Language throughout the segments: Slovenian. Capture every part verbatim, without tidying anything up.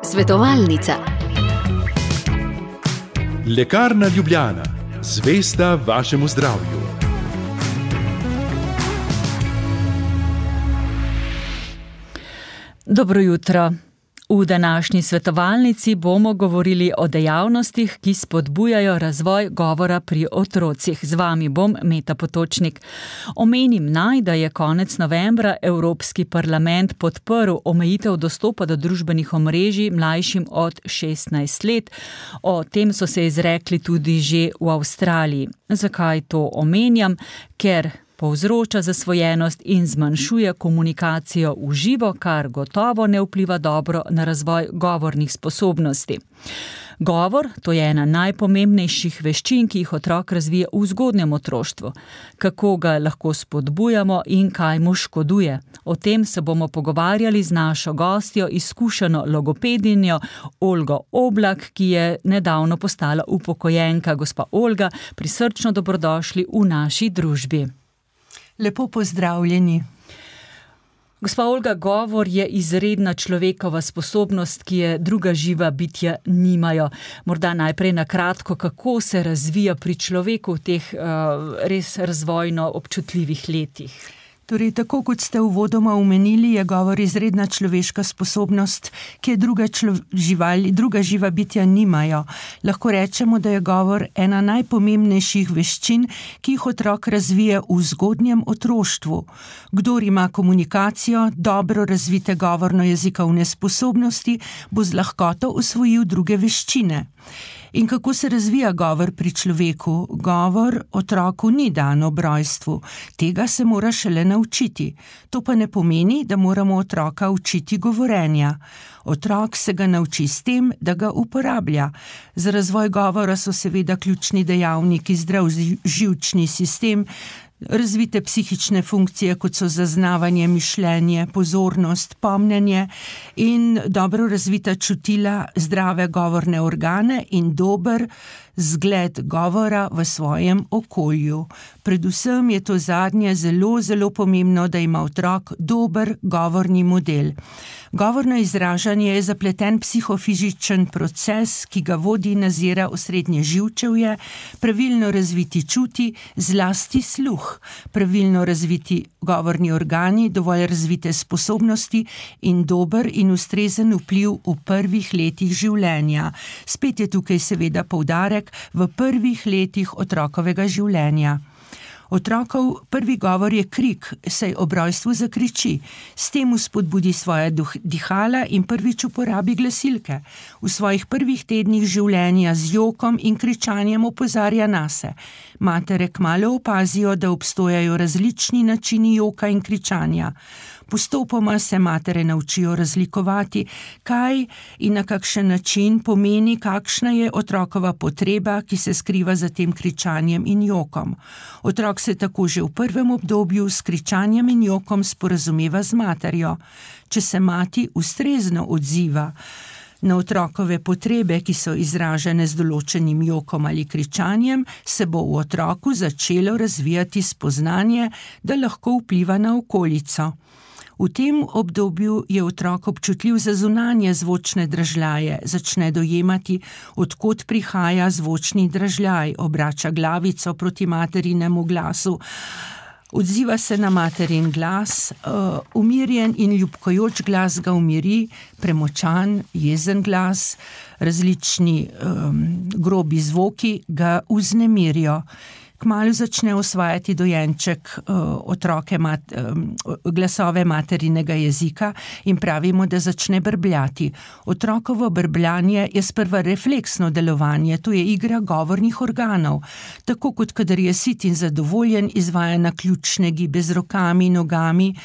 Svetovalnica. Lekarna Ljubljana, zvesta vašemu zdravju. Dobro jutro. V današnji svetovalnici bomo govorili o dejavnostih, ki spodbujajo razvoj govora pri otrocih. Z vami bom Meta Potočnik. Omenim naj, da je konec novembra Evropski parlament podprl omejitev dostopa do družbenih omrežij mlajšim od šestnajst let. O tem so se izrekli tudi že v Avstraliji. Zakaj to omenjam? Ker povzroča zasvojenost in zmanjšuje komunikacijo v živo, kar gotovo ne vpliva dobro na razvoj govornih sposobnosti. Govor, to je ena najpomembnejših veščin, ki jih otrok razvije v zgodnjem otroštvu. Kako ga lahko spodbujamo in kaj mu škoduje? O tem se bomo pogovarjali z našo gostjo, izkušeno logopedinjo Olgo Oblak, ki je nedavno postala upokojenka. Gospa Olga, prisrčno dobrodošli v naši družbi. Lepo pozdravljeni. Gospa Olga, govor je izredna človekova sposobnost, ki je druga živa bitja nimajo. Morda najprej na kratko, kako se razvija pri človeku v teh uh, res razvojno občutljivih letih. Torej, tako kot ste uvodoma omenili, je govor izredna človeška sposobnost, ki je druga, člo, živali, druga živa bitja nimajo. Lahko rečemo, da je govor ena najpomembnejših veščin, ki jih otrok razvije v zgodnjem otroštvu. Kdor ima komunikacijo, dobro razvite govorno-jezikovne sposobnosti, bo z lahkoto usvojil druge veščine. In kako se razvija govor pri človeku? Govor otroku ni dan ob rojstvu, tega se mora šele naučiti. To pa ne pomeni, da moramo otroka učiti govorenja. Otrok se ga nauči s tem, da ga uporablja. Za razvoj govora so seveda ključni dejavniki zdrav živčni sistem, razvite psihične funkcije, kot so zaznavanje, mišljenje, pozornost, pomnjenje in dobro razvita čutila, zdrave govorne organe in dober zgled govora v svojem okolju. Predvsem je to zadnje zelo, zelo pomembno, da ima otrok dober govorni model. Govorno izražanje je zapleten psihofizičen proces, ki ga vodi in nazira osrednje živčevje, pravilno razviti čuti, zlasti sluh, pravilno razviti govorni organi, dovolj razvite sposobnosti in dober in ustrezen vpliv v prvih letih življenja. Spet je tukaj seveda poudarek v prvih letih otrokovega življenja. Otrokov prvi govor je krik, saj ob rojstvu zakriči. S tem spodbudi svoje dihala in prvič uporabi glasilke. V svojih prvih tednih življenja z jokom in kričanjem opozarja nase. Matere kmalu opazijo, da obstojajo različni načini joka in kričanja. Postopoma se matere naučijo razlikovati, kaj in na kakšen način pomeni, kakšna je otrokova potreba, ki se skriva za tem kričanjem in jokom. Otrok se tako že v prvem obdobju s kričanjem in jokom sporazumeva z materjo. Če se mati ustrezno odziva na otrokove potrebe, ki so izražene z določenim jokom ali kričanjem, se bo v otroku začelo razvijati spoznanje, da lahko vpliva na okolico. V tem obdobju je otrok občutljiv za zunanje zvočne dražljaje, začne dojemati, od kod prihaja zvočni dražljaj, obrača glavico proti materinemu glasu, odziva se na materin glas, uh, umirjen in ljubkojoč glas ga umiri, premočan, jezen glas, različni um, grobi zvoki ga vznemirijo. Kmalu začne osvajati dojenček uh, otroke mat, um, glasove materinega jezika in pravimo, da začne brbljati. Otrokovo brbljanje je sprva refleksno delovanje, to je igra govornih organov. Tako kot kadar je sit in zadovoljen, izvaja naključne gibe z rokami, nogami,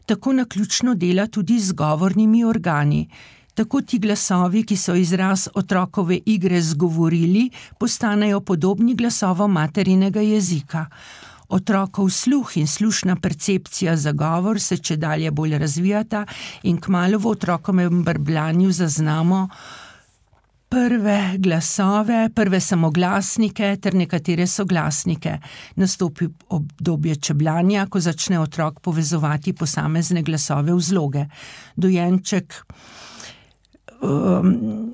tako naključno dela tudi z govornimi organi. Tako ti glasovi, ki so izraz otrokove igre zgovorili, postanejo podobni glasovom materinega jezika. Otrokov sluh in slušna percepcija za govor se čedalje bolj razvijata in kmalu v otrokovem brbljanju zaznamo prve glasove, prve samoglasnike ter nekatere soglasnike. Nastopi obdobje čebljanja, ko začne otrok povezovati posamezne glasove v zloge. Dojenček um,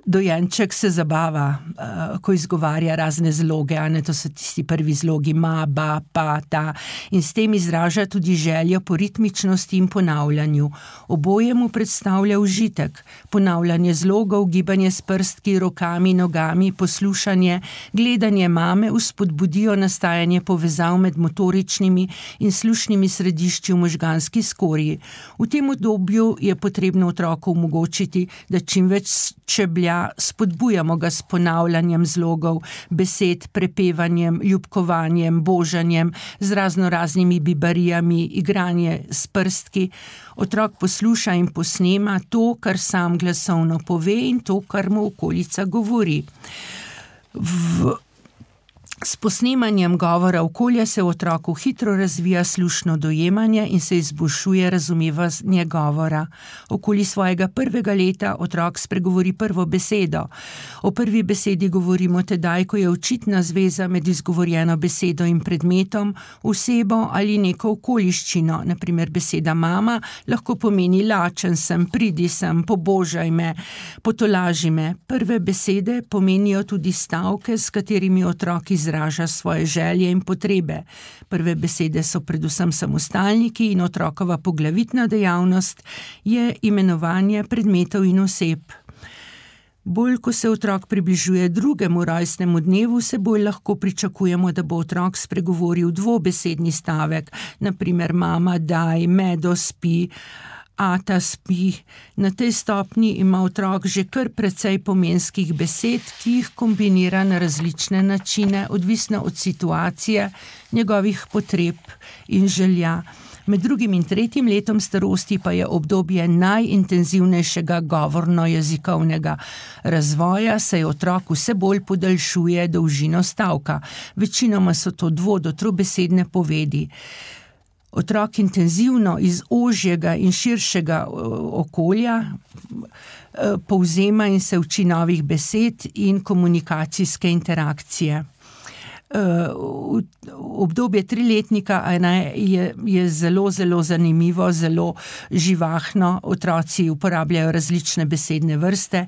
Dojenček se zabava, uh, ko izgovarja razne zloge, a ne, to so tisti prvi zlogi ma, ba, pa, ta, in s tem izraža tudi željo po ritmičnosti in ponavljanju. Oboje mu predstavlja užitek. Ponavljanje zlogov, gibanje s prstki, rokami, nogami, poslušanje, gledanje mame vzpodbudijo nastajanje povezav med motoričnimi in slušnimi središči v možganski skorji. V tem obdobju je potrebno otroku omogočiti, da čim več čeblja, spodbujamo ga s ponavljanjem zlogov, besed, prepevanjem, ljubkovanjem, božanjem, z razno raznimi bibarijami, igranje s prstki. Otrok posluša in posnema to, kar sam glasovno pove, in to, kar mu okolica govori. V S posnemanjem govora okolja se v otroku hitro razvija slušno dojemanje in se izboljšuje razumevanje govora. Okoli svojega prvega leta otrok spregovori prvo besedo. O prvi besedi govorimo tedaj, ko je očitna zveza med izgovorjeno besedo in predmetom, osebo ali neko okoliščino. Na primer, beseda mama lahko pomeni lačen sem, pridi sem, pobožaj me, potolaži me. Prve besede pomenijo tudi stavke, s katerimi otrok izraža svoje želje in potrebe. Prve besede so predvsem samostalniki in otrokova poglavitna dejavnost je imenovanje predmetov in oseb. Bolj, ko se otrok približuje drugemu rojstnemu dnevu, se bolj lahko pričakujemo, da bo otrok spregovoril dvobesedni stavek, na primer mama, daj, medo, spi, ata spi. Na tej stopnji ima otrok že kar precej pomenskih besed, ki jih kombinira na različne načine, odvisno od situacije, njegovih potreb in želja. Med drugim in tretjim letom starosti pa je obdobje najintenzivnejšega govorno-jezikovnega razvoja, saj otrok vse bolj podaljšuje dolžino stavka. Večinoma so to dvo- do trobesedne povedi. Otrok intenzivno iz ožjega in širšega okolja povzema in se uči novih besed in komunikacijske interakcije. Uh, obdobje triletnika je, je zelo, zelo zanimivo, zelo živahno. Otroci uporabljajo različne besedne vrste.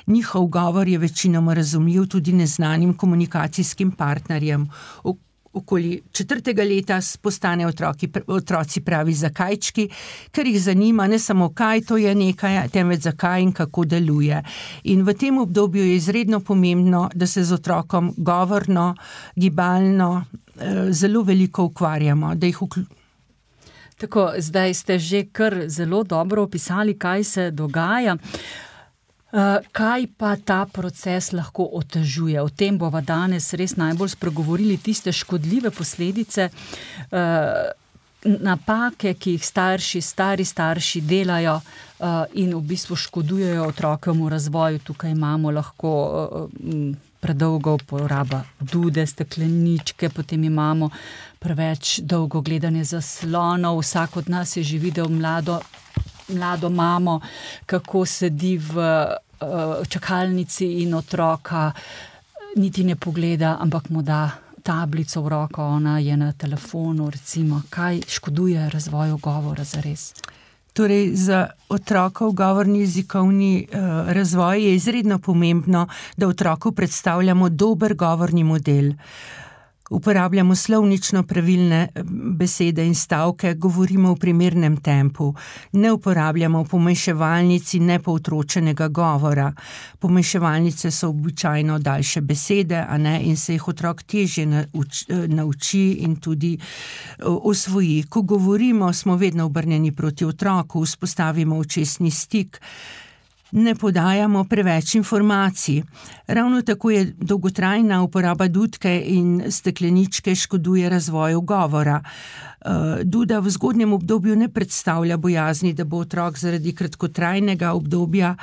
Njihov govor je večinoma razumljiv tudi neznanim komunikacijskim partnerjem. Okoli četrtega leta postane otroki, otroci pravi zakajčki, ker jih zanima ne samo kaj to je nekaj, temveč zakaj in kako deluje. In v tem obdobju je izredno pomembno, da se z otrokom govorno, gibalno zelo veliko ukvarjamo, da jih vključimo. Tako, zdaj ste že kar zelo dobro opisali, kaj se dogaja. Uh, kaj pa ta proces lahko otežuje? O tem bova danes res najbolj spregovorili, tiste škodljive posledice, uh, napake, ki jih starši, stari starši delajo uh, in v bistvu škodujejo otrokovemu razvoju. Tukaj imamo lahko uh, predolgo uporaba dude, stekleničke, potem imamo preveč dolgo gledanje zaslonov. Vsak od nas je že videl mlado mlado mamo, kako sedi v uh, čakalnici in otroka niti ne pogleda, ampak mu da tablico v roko, ona je na telefonu, recimo. Kaj škoduje razvoju govora zares? Torej, za otrokov govorni jezikovni uh, razvoj je izredno pomembno, da otroku predstavljamo dober govorni model. Uporabljamo slovnično pravilne besede in stavke, govorimo v primernem tempu, ne uporabljamo pomeševalnici nepoutročenega govora. Pomeševalnice so običajno daljše besede, a ne, in se jih otrok težje nauči in tudi osvoji. Ko govorimo, smo vedno obrnjeni proti otroku, vzpostavimo očesni stik, ne podajamo preveč informacij. Ravno tako je dolgotrajna uporaba dudke in stekleničke škoduje razvoju govora. Duda v zgodnjem obdobju ne predstavlja bojazni, da bo otrok zaradi kratkotrajnega obdobja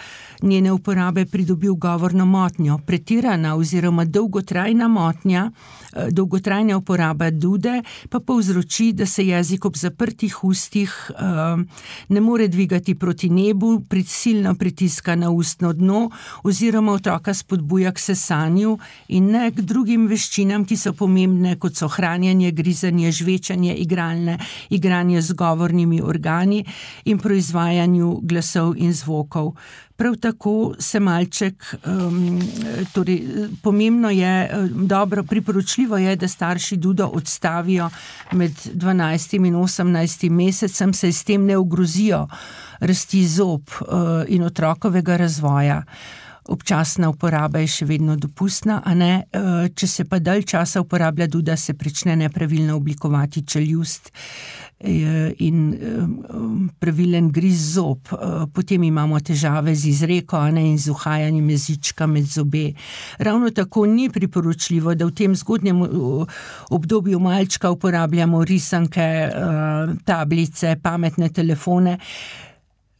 njene uporabe pridobil govorno motnjo. Pretirana oziroma dolgotrajna motnja, dolgotrajna uporaba dude pa povzroči, da se jezik ob zaprtih ustih ne more dvigati proti nebu, prisilno pritiska na ustno dno oziroma otroka spodbuja k sesanju in ne k drugim veščinam, ki so pomembne, kot so hranjenje, grizanje, žvečanje, igralne, igranje z govornimi organi in proizvajanju glasov in zvokov. Prav tako se malček, um, torej pomembno je, dobro, priporočljivo je, da starši dudo odstavijo med dvanajstim in osemnajstim mesecem, saj s tem ne ogrozijo rasti zob uh, in otrokovega razvoja. Občasna uporaba je še vedno dopustna, a ne, če se pa dalj časa uporablja duda, se prične nepravilno oblikovati čeljust in pravilen griz zob. Potem imamo težave z izreko, a ne, in z uhajanjem jezička med zobe. Ravno tako ni priporočljivo, da v tem zgodnjem obdobju malčka uporabljamo risanke, tablice, pametne telefone.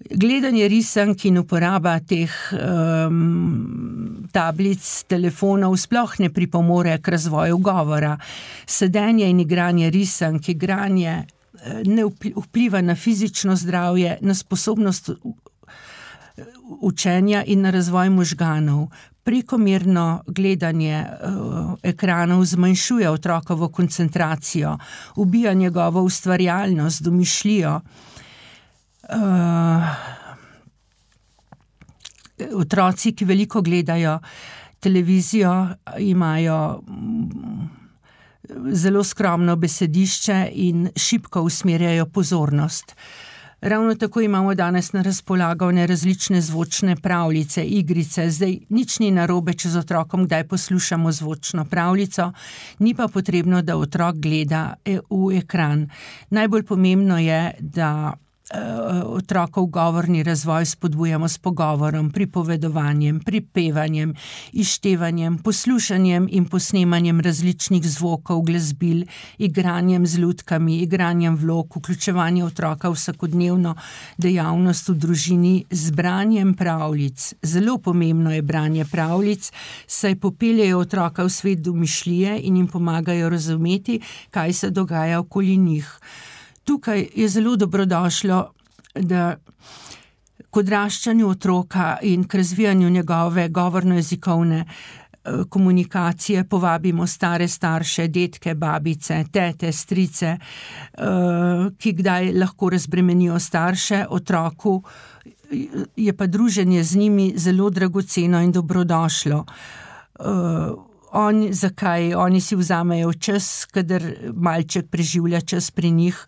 Gledanje risank in uporaba teh um, tablic, telefonov sploh ne pripomore k razvoju govora. Sedenje in igranje risank, igranje ne vpliva na fizično zdravje, na sposobnost učenja in na razvoj možganov. Prekomerno gledanje uh, ekranov zmanjšuje otrokovo koncentracijo, ubija njegovo ustvarjalnost, domišljijo. Uh, otroci, ki veliko gledajo televizijo, imajo zelo skromno besedišče in šibko usmerjajo pozornost. Ravno tako imamo danes na razpolago različne zvočne pravljice, igrice. Zdaj nič ni narobe, če z otrokom kdaj poslušamo zvočno pravljico, ni pa potrebno, da otrok gleda v ekran. Najbolj pomembno je, da otrokov govorni razvoj spodbujamo s pogovorom, pripovedovanjem, pripevanjem, izštevanjem, poslušanjem in posnemanjem različnih zvokov, glasbil, igranjem z lutkami, igranjem vlog, vključevanje otroka v vsakodnevno dejavnost v družini, z branjem pravljic. Zelo pomembno je branje pravljic, saj popeljejo otroka v svet domišljije in jim pomagajo razumeti, kaj se dogaja okoli njih. Tukaj je zelo dobrodošlo, da k odraščanju otroka in k razvijanju njegove govorno-jezikovne komunikacije povabimo stare starše, detke, babice, tete, strice, ki kdaj lahko razbremenijo starše, otroku je pa druženje z njimi zelo dragoceno in dobrodošlo. On, zakaj? Oni si vzamejo čas, kadar malček preživlja čas pri njih,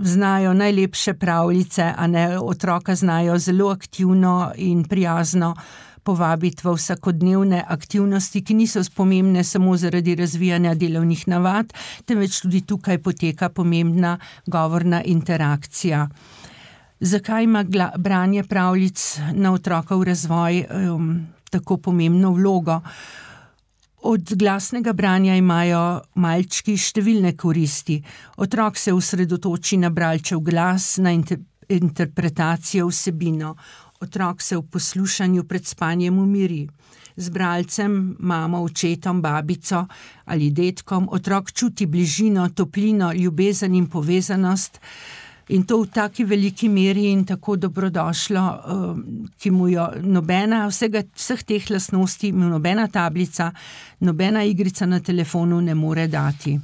znajo najlepše pravljice, a ne, otroka znajo zelo aktivno in prijazno povabiti v vsakodnevne aktivnosti, ki niso pomembne samo zaradi razvijanja delovnih navad, temveč tudi tukaj poteka pomembna govorna interakcija. Zakaj ima branje pravljic na otrokov razvoj um, tako pomembno vlogo? Od glasnega branja imajo malčki številne koristi. Otrok se osredotoči na bralčev glas, na inter- interpretacijo vsebino. Otrok se v poslušanju pred spanjem umiri. Z bralcem, mamo, očetom, babico ali dedkom otrok čuti bližino, toplino, ljubezen in povezanost, in to v taki veliki meri in tako dobrodošlo, ki mu jo nobena, vsega, vseh teh lastnosti mu nobena tablica, nobena igrica na telefonu ne more dati.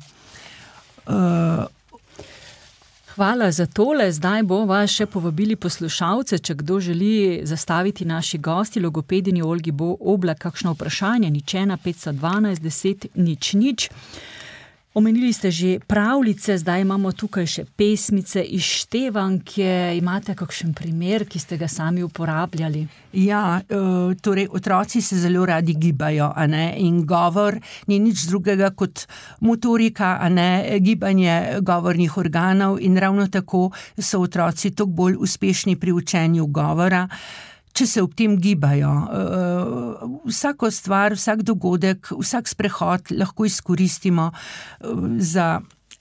Hvala za tole. Zdaj bova še povabili poslušalce, če kdo želi zastaviti naši gosti, logopedini Olgi Oblak, kakšno vprašanje, nič ena, petsto dvanajst, deset, nič, nič. Omenili ste že pravljice, zdaj imamo tukaj še pesmice, izštevanke. Imate kakšen primer, ki ste ga sami uporabljali? Ja, torej otroci se zelo radi gibajo, a ne, in govor ni nič drugega kot motorika, a ne, gibanje govornih organov, in ravno tako so otroci toliko bolj uspešni pri učenju govora, če se ob tem gibajo. Vsako stvar, vsak dogodek, vsak sprehod lahko izkoristimo za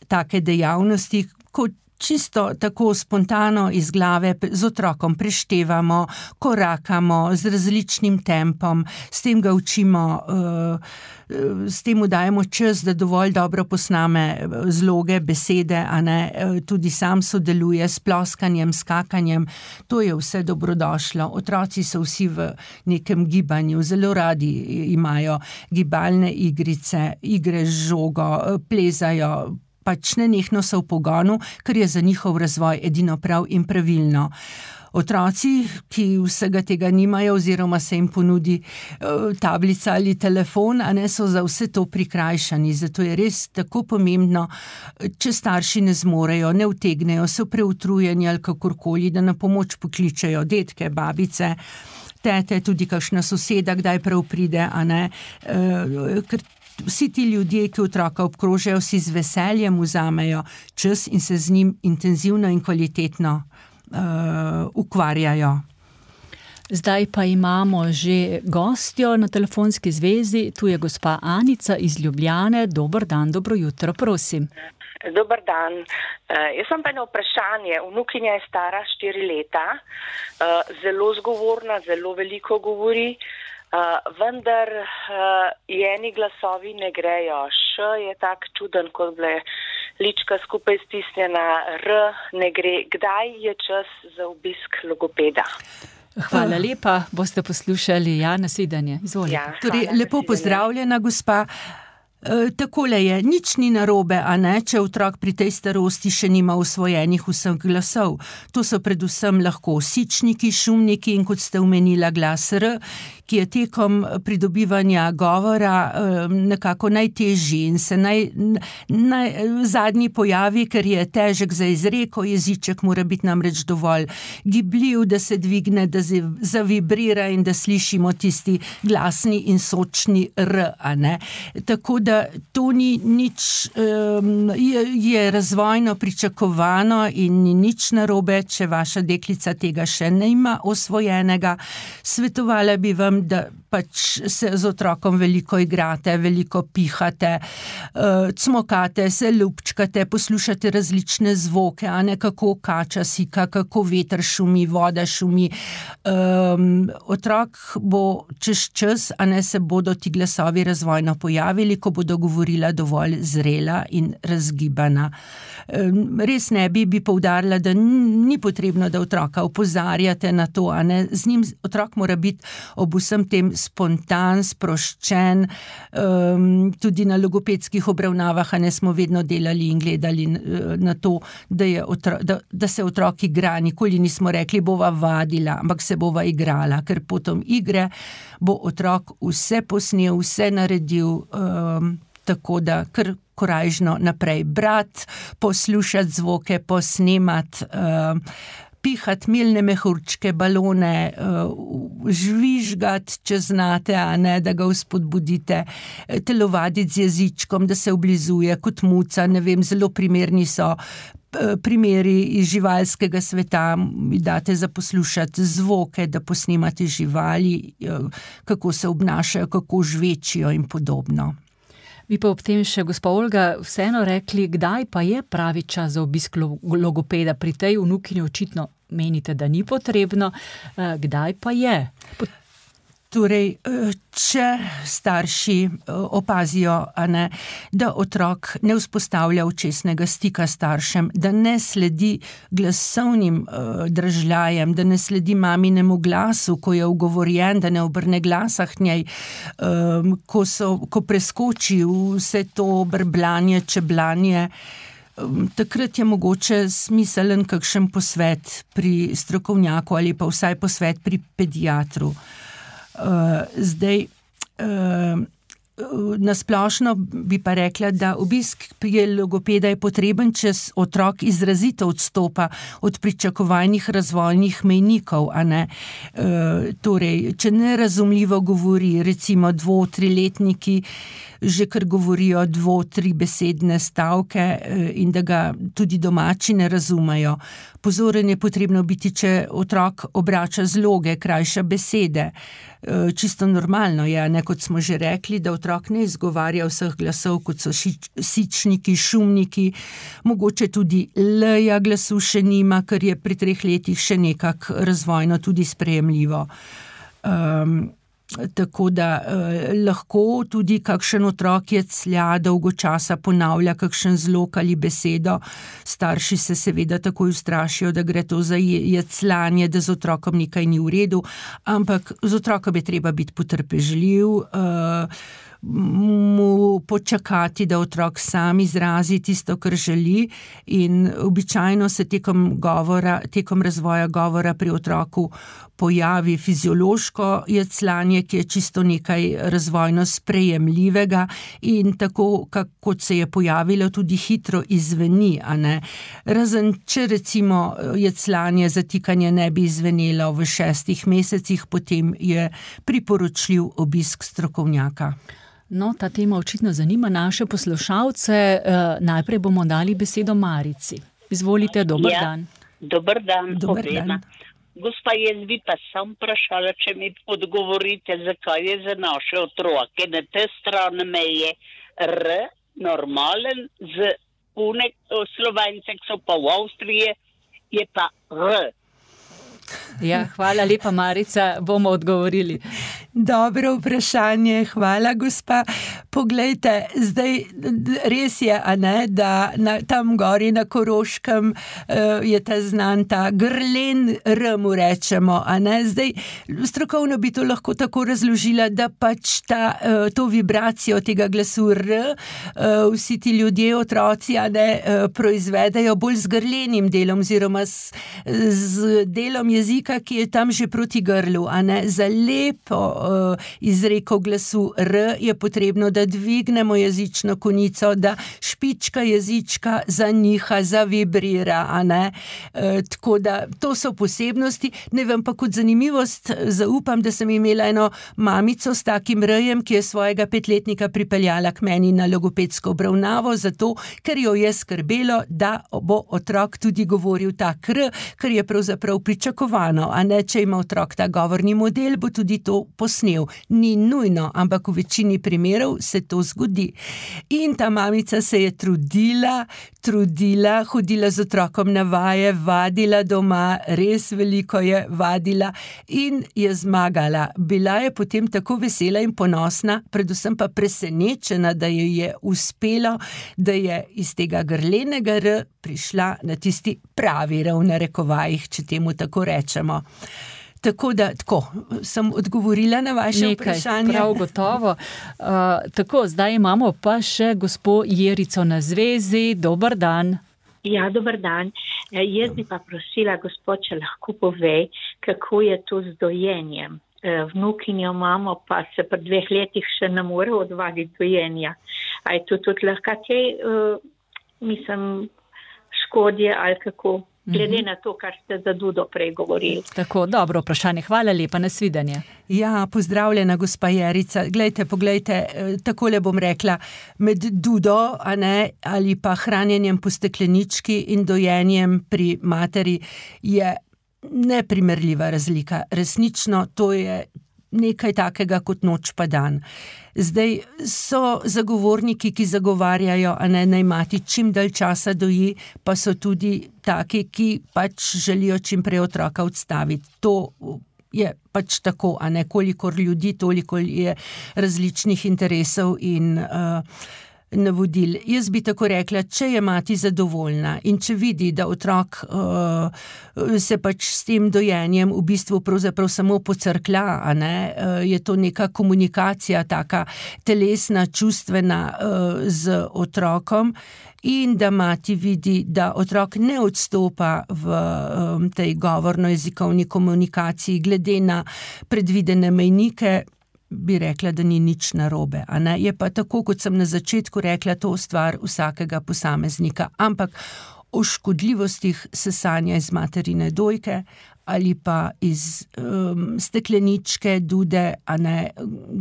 take dejavnosti, kot čisto tako spontano iz glave z otrokom preštevamo, korakamo z različnim tempom, s tem ga učimo, s tem mu dajemo čas, da dovolj dobro posname zloge, besede, a ne, tudi sam sodeluje s ploskanjem, skakanjem, to je vse dobrodošlo. Otroci so vsi v nekem gibanju, zelo radi imajo gibalne igrice, igre z žogo, plezajo, pač nenehno so v pogonu, ker je za njihov razvoj edino prav in pravilno. Otroci, ki vsega tega nimajo oziroma se jim ponudi tablica ali telefon, a ne, so za vse to prikrajšani. Zato je res tako pomembno, če starši ne zmorejo, ne utegnejo, so preutrujeni ali kakorkoli, da na pomoč pokličejo detke, babice, tete, tudi kakšna soseda, kdaj prav pride, a ne, ker vsi ti ljudje, ki otroka obkrožajo, si z veseljem vzamejo čas in se z njim intenzivno in kvalitetno uh, ukvarjajo. Zdaj pa imamo že gostjo na telefonski zvezi, tu je gospa Anica iz Ljubljane. Dober dan, dobro jutro, prosim. Dober dan. Uh, jaz sem pa eno vprašanje. Vnukinja je stara štiri leta, uh, zelo zgovorna, zelo veliko govori. Uh, vendar uh, jeni glasovi ne grejo. Š je tak čuden, kot bile lička skupaj stisnjena, R ne gre. Kdaj je čas za obisk logopeda? Hvala lepa, boste poslušali. Ja, nasvidenje. Izvolite. Ja, torej, lepo pozdravljena, gospa. E, takole je, nič ni narobe, a ne, če otrok pri tej starosti še nima usvojenih vseh glasov. To so predvsem lahko sičniki, šumniki in, kot ste omenila, glas R, ki je tekom pridobivanja govora nekako najtežji in se naj, naj, zadnji pojavi, ker je težek za izreko, jeziček mora biti namreč dovolj gibljiv, da se dvigne, da zavibrira in da slišimo tisti glasni in sočni R, a ne. Tako da to ni nič, je, je razvojno pričakovano in ni nič narobe, če vaša deklica tega še ne ima osvojenega. Svetovala bi vam, da pač se z otrokom veliko igrate, veliko pihate, cmokate, se ljubčkate, poslušate različne zvoke, a ne, kako kača sika, kako veter šumi, voda šumi. Um, otrok bo čez čas, a ne, se bodo ti glasovi razvojno pojavili, ko bodo govorila dovolj zrela in razgibana. Um, res ne bi, bi poudarila, da ni potrebno, da otroka opozarjate na to, a ne, z njim otrok mora biti ob vsem tem spontan, sproščen, um, tudi na logopedskih obravnavah, a ne, smo vedno delali in gledali na to, da, je otro, da, da se otrok igra, nikoli nismo rekli, bova vadila, ampak se bova igrala, ker potom igre bo otrok vse posnel, vse naredil, um, tako da kar korajžno naprej brati, poslušati zvoke, posnemati, um, pihati milne mehurčke, balone, žvižgati, če znate, a ne, da ga vzpodbudite, telovaditi z jezičkom, da se oblizuje kot muca, ne vem, zelo primerni so primeri iz živalskega sveta, mi date za poslušati zvoke, da posnemate živali, kako se obnašajo, kako žvečijo in podobno. Vi pa ob tem še, gospa Olga, vseeno rekli, kdaj pa je pravi čas za obisk logopeda? Pri tej vnukinji očitno menite, da ni potrebno, kdaj pa je? Pot- Torej, če starši opazijo, a ne, da otrok ne vzpostavlja očesnega stika s staršem, da ne sledi glasovnim držljajem, da ne sledi maminemu glasu, ko je ugovorjen, da ne obrne glasa k njej, ko, so, ko preskoči vse to brbljanje, čeblanje, takrat je mogoče smiselen kakšen posvet pri strokovnjaku ali pa vsaj posvet pri pediatru. Uh, zdaj, uh, nasplošno bi pa rekla, da obisk pri logopeda je potreben, če otrok izrazito odstopa od pričakovanih razvojnih mejnikov, a ne. Uh, torej, če nerazumljivo govori, recimo dvo-, triletniki, že kar govorijo dvo-, tri besedne stavke in da ga tudi domači ne razumejo, pozoren je potrebno biti, če otrok obrača zloge, krajša besede. Čisto normalno je, ne, kot smo že rekli, da otrok ne izgovarja vseh glasov, kot so šič, sičniki, šumniki, mogoče tudi l-ja glasu še nima, ker je pri treh letih še nekak razvojno tudi sprejemljivo. Um, Tako da eh, lahko tudi kakšen otrok jeclja, dolgo časa ponavlja kakšen zlog ali besedo. Starši se seveda takoj ustrašijo, da gre to za jecljanje, da z otrokom nekaj ni v redu, ampak z otrokom je treba biti potrpežljiv, eh, mu počakati, da otrok sam izrazi tisto, kar želi, in običajno se tekom govora, tekom razvoja govora pri otroku pojavi fiziološko jecljanje, ki je čisto nekaj razvojno sprejemljivega in tako, kot se je pojavilo, tudi hitro izveni, a ne. Razen, če recimo jecljanje, zatikanje ne bi izvenelo v šestih mesecih, potem je priporočljiv obisk strokovnjaka. No, ta tema očitno zanima naše poslušalce. E, najprej bomo dali besedo Marici. Izvolite, dober ja, dan. Dober dan, dober obema. dan. Gospa, jaz bi pa sam vprašala, če mi odgovorite, zakaj je za naše otroke na te strani meje R normalen, z une Slovence, ki so pa v Avstriji, je pa R. Ja, hvala lepa, Marica, bomo odgovorili. Dobro vprašanje, hvala, gospa. Poglejte, zdaj res je, a ne, da na, tam gori na Koroškem uh, je ta znan ta grlen R, mu rečemo, a ne. Zdaj, strokovno bi to lahko tako razložila, da pač ta, uh, to vibracijo tega glasu R, uh, vsi ti ljudje, otroci, a ne, uh, proizvedajo bolj z grlenim delom, oziroma z, z delom jezika, ki je tam že proti grlu, a ne. Za lepo uh, izreko glasu R je potrebno, da dvignemo jezično konico, da špička jezička zaniha, zavibrira, a ne. E, tako da to so posebnosti. Ne vem, pa kot zanimivost zaupam, da sem imela eno mamico s takim R-jem, ki je svojega petletnika pripeljala k meni na logopedsko obravnavo, zato, ker jo je skrbelo, da bo otrok tudi govoril tak R, ker je pravzaprav pričakovano, a ne, če ima otrok ta govorni model, bo tudi to posnel. Ni nujno, ampak v večini primerov se to zgodi. In ta mamica se je trudila, trudila, hodila z otrokom na vaje, vadila doma, res veliko je vadila in je zmagala. Bila je potem tako vesela in ponosna, predvsem pa presenečena, da jo je uspelo, da je iz tega grlenega R prišla na tisti pravi R, v narekovajih, če temu tako rečemo. Tako da, tako, sem odgovorila na vaše Nekaj, vprašanje. Prav gotovo. Uh, tako, zdaj imamo pa še gospo Jerico na zvezi. Dober dan. Ja, dober dan. Jaz bi pa prosila, gospod, če lahko pove, kako je to z dojenjem. Vnukinjo imamo, pa se pri dveh letih še ne more odvaditi dojenja. A je to tudi lahko te, uh, mislim, škodje ali kako? Glede na to, kar ste za Dudo prej govorili. Tako, dobro vprašanje. Hvala lepa, nasvidenje. Ja, pozdravljena, gospa Jerica. Glejte, poglejte, takole bom rekla, med Dudo, a ne, ali pa hranjenjem po steklenički in dojenjem pri materi je neprimerljiva razlika. Resnično, to je nekaj takega kot noč pa dan. Zdaj so zagovorniki, ki zagovarjajo, a ne, naj mati čim dalj časa doji, pa so tudi taki, ki pač želijo čim prej otroka odstaviti. To je pač tako, a ne, kolikor ljudi, toliko je različnih interesov in uh, navodil. Jaz bi tako rekla, če je mati zadovoljna in če vidi, da otrok uh, se pač s tem dojenjem v bistvu pravzaprav samo pocrklja, a ne, uh, je to neka komunikacija, taka telesna, čustvena uh, z otrokom in da mati vidi, da otrok ne odstopa v um, tej govorno-jezikovni komunikaciji glede na predvidene mejnike, bi rekla, da ni nič narobe, a ne? Je pa tako, kot sem na začetku rekla, to stvar vsakega posameznika. Ampak o škodljivostih sesanja iz materine dojke ali pa iz um, stekleničke, dude, a ne,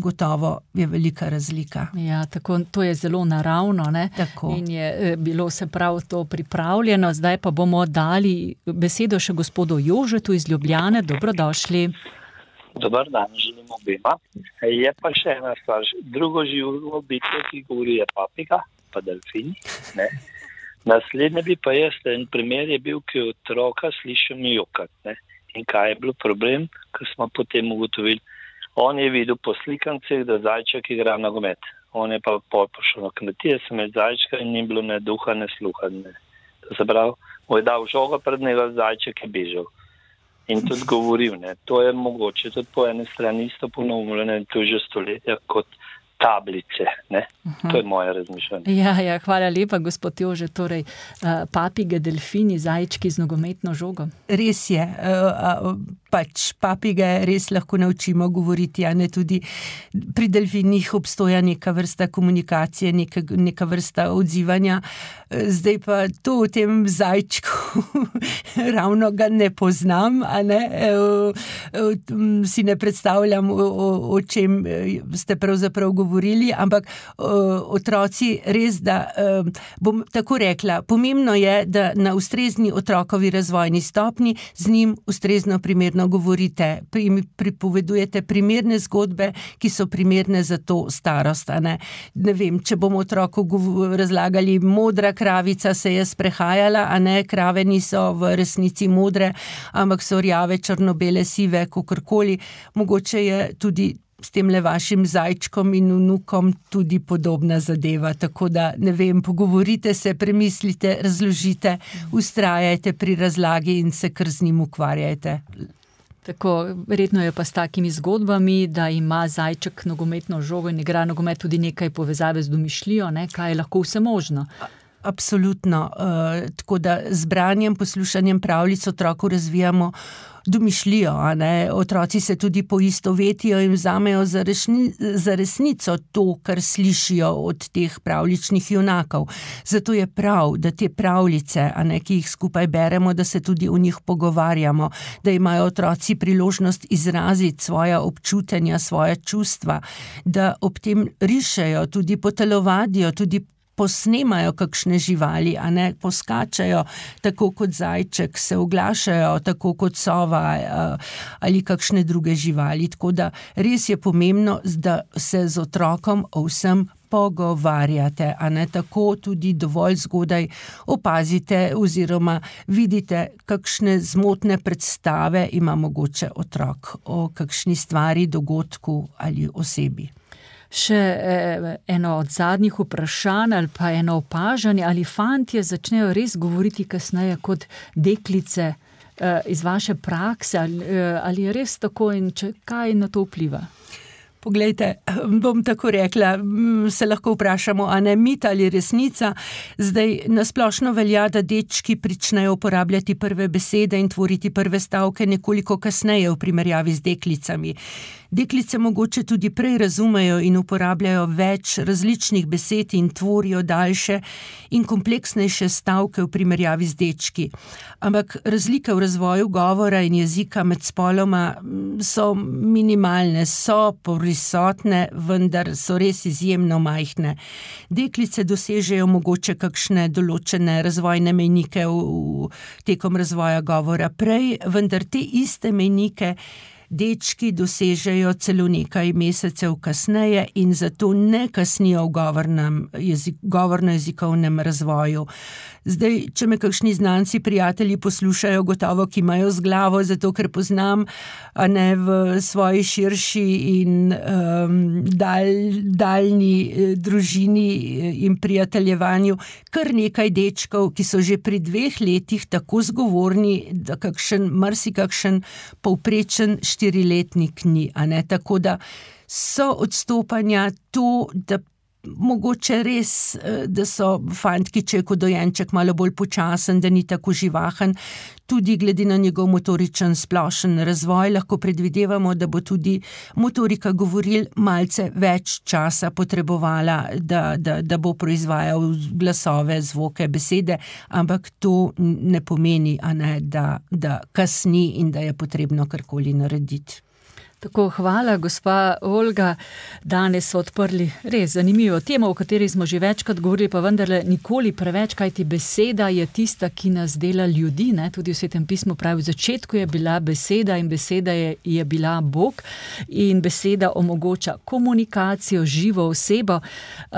gotovo je velika razlika. Ja, tako, to je zelo naravno, ne? Tako. In je bilo se prav to pripravljeno. Zdaj pa bomo dali besedo še gospodu Jožetu iz Ljubljane. Dobrodošli. Dobar dan, želim obema. Je pa še ena stvar. Drugo živo bitje, ki govori, je papiga, pa delfini. Ne? Naslednje bi pa jaz, en primer je bil, ki otroka slišim jokat. Ne? In kaj je bil problem, ko smo potem ugotovili? On je videl po slikancih, da zajček igra nogomet. On je pa pol pošel na kmetije, sem imel zajčka in ni bilo ne duha, ne sluha. Ne. To se pravi, mu je dal žogo pred njega, zajček je bežal. In tudi govoril, ne. To je mogoče tudi po eni strani isto ponovljeno in to že stoletja kot tablice, ne. Uh-huh. To je moje razmišljanje. Ja, ja, hvala lepa, gospod Jože. Torej, papige, delfini, zajčki z nogometno žogo. Res je, pač papige res lahko naučimo govoriti, a ne tudi pri delfinih obstoja neka vrsta komunikacije, neka, neka vrsta odzivanja. Zdaj pa to v tem zajčku ravno ga ne poznam, a ne, si ne predstavljam, o, o čem ste pravzaprav govorili, ampak otroci res, da bom tako rekla, pomembno je, da na ustrezni otrokovi razvojni stopni z njim ustrezno primerno govorite, pripovedujete primerne zgodbe, ki so primerne za to starost, a ne. Ne vem, če bomo otroku razlagali, modra kravica se je sprehajala, a ne, krave niso v resnici modre, ampak so rjave, črnobele, sive, kakorkoli. Mogoče je tudi s temle vašim zajčkom in vnukom tudi podobna zadeva, tako da, ne vem, pogovorite se, premislite, razložite, ustrajajte pri razlagi in se kar z njim ukvarjajte. Tako, verjetno je pa s takimi zgodbami, da ima zajček nogometno žogo in igra nogomet tudi nekaj povezave z domišljijo, ne, kaj je lahko vse možno. Absolutno, uh, tako da z branjem, poslušanjem pravljic otroku razvijamo domišljijo, a ne, otroci se tudi poistovetijo in vzamejo za, rešni, za resnico to, kar slišijo od teh pravljičnih junakov. Zato je prav, da te pravljice, a ne, ki jih skupaj beremo, da se tudi o njih pogovarjamo, da imajo otroci priložnost izraziti svoja občutenja, svoja čustva, da ob tem rišejo, tudi potelovadijo, tudi posnemajo kakšne živali, a ne, poskačajo tako kot zajček, se oglašajo tako kot sova ali kakšne druge živali. Tako da res je pomembno, da se z otrokom o vsem pogovarjate, a ne, tako tudi dovolj zgodaj opazite oziroma vidite, kakšne zmotne predstave ima mogoče otrok o kakšni stvari, dogodku ali osebi. Še eno od zadnjih vprašanj ali pa eno opažanje, ali fantje začnejo res govoriti kasneje kot deklice iz vaše prakse, ali, ali je res tako in če, kaj na to vpliva? Poglejte, bom tako rekla, se lahko vprašamo, a ne mit ali resnica. Zdaj nasplošno velja, da dečki pričnejo uporabljati prve besede in tvoriti prve stavke nekoliko kasneje v primerjavi z deklicami. Deklice mogoče tudi prej razumejo in uporabljajo več različnih besed in tvorijo daljše in kompleksnejše stavke v primerjavi z dečki. Ampak razlike v razvoju govora in jezika med spoloma so minimalne, so prisotne, vendar so res izjemno majhne. Deklice dosežejo mogoče kakšne določene razvojne mejnike v, v tekom razvoja govora prej, vendar te iste mejnike dečki dosežejo celo nekaj mesecev kasneje in zato ne kasnijo v govornem, jezik, govorno-jezikovnem razvoju. Zdaj, če me kakšni znanci, prijatelji poslušajo, gotovo kimajo z glavo, zato ker poznam, a ne, v svoji širši in um, dal, daljni eh, družini in prijateljevanju kar nekaj dečkov, ki so že pri dveh letih tako zgovorni, da kakšen, marsikakšen povprečen štiriletnik ni, a ne, tako da so odstopanja to, da mogoče res, da so fantki, če je kot dojenček malo bolj počasen, da ni tako živahen, tudi glede na njegov motoričen splošen razvoj, lahko predvidevamo, da bo tudi motorika govoril malce več časa potrebovala, da, da, da bo proizvajal glasove, zvoke, besede, ampak to ne pomeni, a ne, da, da kasni in da je potrebno karkoli narediti. Tako, hvala, gospa Olga. Danes so odprli res zanimivo temo, o kateri smo že večkrat govorili, pa vendarle nikoli preveč, kajti beseda je tista, ki nas dela ljudi, ne? Tudi v Svetem pismu pravi, v začetku je bila beseda in beseda je, je bila Bog in beseda omogoča komunikacijo, živo osebo. Uh,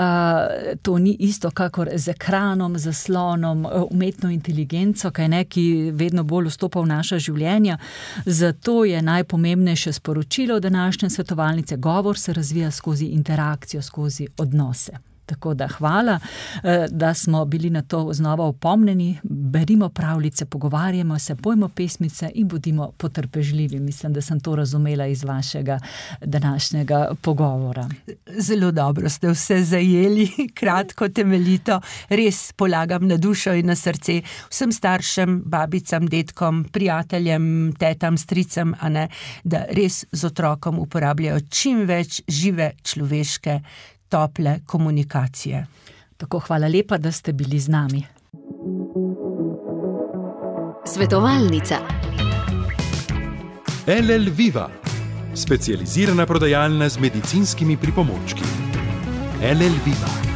to ni isto, kakor z ekranom, zaslonom, umetno inteligenco, kaj ne, ki vedno bolj vstopa v naša življenja. Zato je najpomembnejše sporočilo v današnje svetovalnice: govor se razvija skozi interakcijo, skozi odnose. Tako da hvala, da smo bili na to znova opomnjeni. Berimo pravljice, pogovarjamo se, pojmo pesmice in bodimo potrpežljivi. Mislim, da sem to razumela iz vašega današnjega pogovora. Zelo dobro ste vse zajeli, kratko, temeljito. Res polagam na dušo in na srce vsem staršem, babicam, dedkom, prijateljem, tetam, stricem, a ne, da res z otrokom uporabljajo čim več žive človeške tople komunikacije. Tako, hvala lepa, da ste bili z nami. Svetovalnica. L L Viva, specializirana prodajalna z medicinskimi pripomočki. L L Viva.